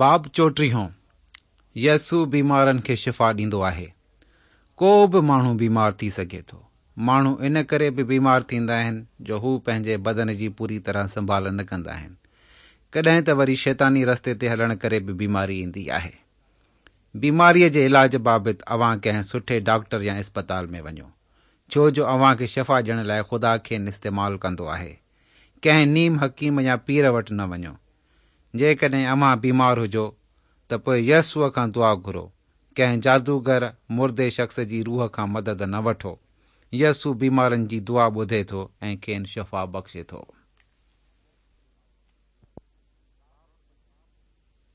باب چوٽيهون، يسوع بيمارن کي شفا ڏيندو آهي. ڪو به ماڻهو بيمار ٿي سگهي ٿو. ماڻهو ان ڪري به بيمار ٿيندا آهن جو هو پنهنجي بدن جي پوري طرح سنڀال نه ڪندا آهن. ڪڏهن ته وري شيطاني رستي تي هلڻ ڪري به بيماري ايندي آهي. بيماريء جي علاج بابت اوهان ڪنهن سٺي ڊاڪٽر يا اسپتال ۾ وڃو. ڇو جو اوهان کي شفا ڏيڻ لاء خدا کين استعمال ڪندو آهي. ڪنهن نيم حڪيم يا پير وٽ نه وڃو. جيڪڏهن اوهان بيمار هجو ته پوء يسوع کان دعا گهرو. ڪنهن جادوگر، مردي شخص جي روح کان مدد نه وٺو. يسوع بيمارن جي دعا ٻڌي ٿو ۽ کين شفا بخشي ٿو.